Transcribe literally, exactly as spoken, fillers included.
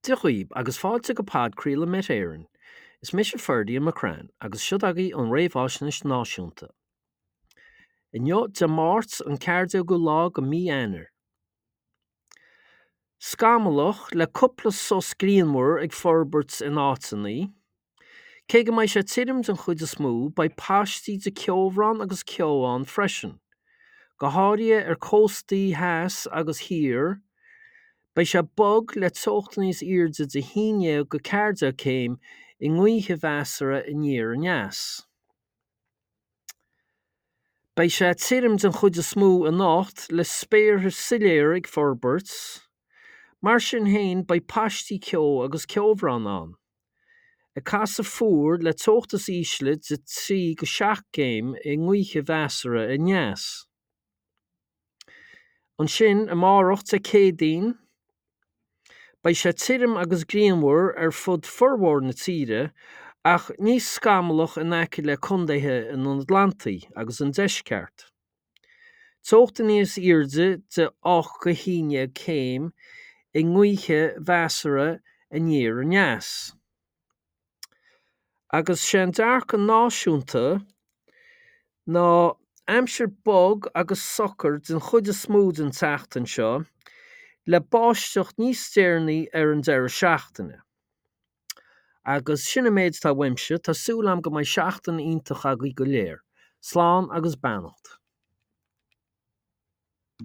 Dia dhaoib agus fáilte go podchraoladh Met Éireann. Is mise Ferdia McCrann agus seo agaibh an réamhaisnéis náisiúnta. Inniu Dé Máirt an ceathair déagú lá de mí Eanáir. Scamallach le cúpla sos grianmhar ag forbairt in áiteanna. Cé go mbeidh sé tirim den chuid is mó, beidh paistí de ceobhrán agus ceo ann freisin, go háirithe ar cóstaí theas agus thiar. Beidh sé bog le teocht níos airde de haon déag go ceathair déag céim i ngaoth mheasartha aniar aneas. Beidh sé tirim den chuid is mó anocht le spéartha soiléir ag forbairt. Mar sin féin beidh paistí ceo agus ceobhrán ann. Ag casadh fuar le teocht is ísle de trí go seacht gcéim i ngaoth mheasartha aneas. Ansin amárach Dé Céadaoin, beidh sé tirim agus grianmhar ar fud formhór na tíre ach níos scamallach in aice le contaetha an Atlantaigh agus an Deisceart. Teocht níos airde de ocht go haon déag céim i ngaoth mheasartha aniar aneas. Agus sé an dearcadh náisiúnta ná aimsir bog agus socair den chuid is mó den tseachtain seo, le báisteach níos deireanaí ar an deireadh seachtaine. Agus sin an méid atá uaimse, tá súil agam go mbeidh seachtain iontach agaibh go léir. Slán agus beannacht.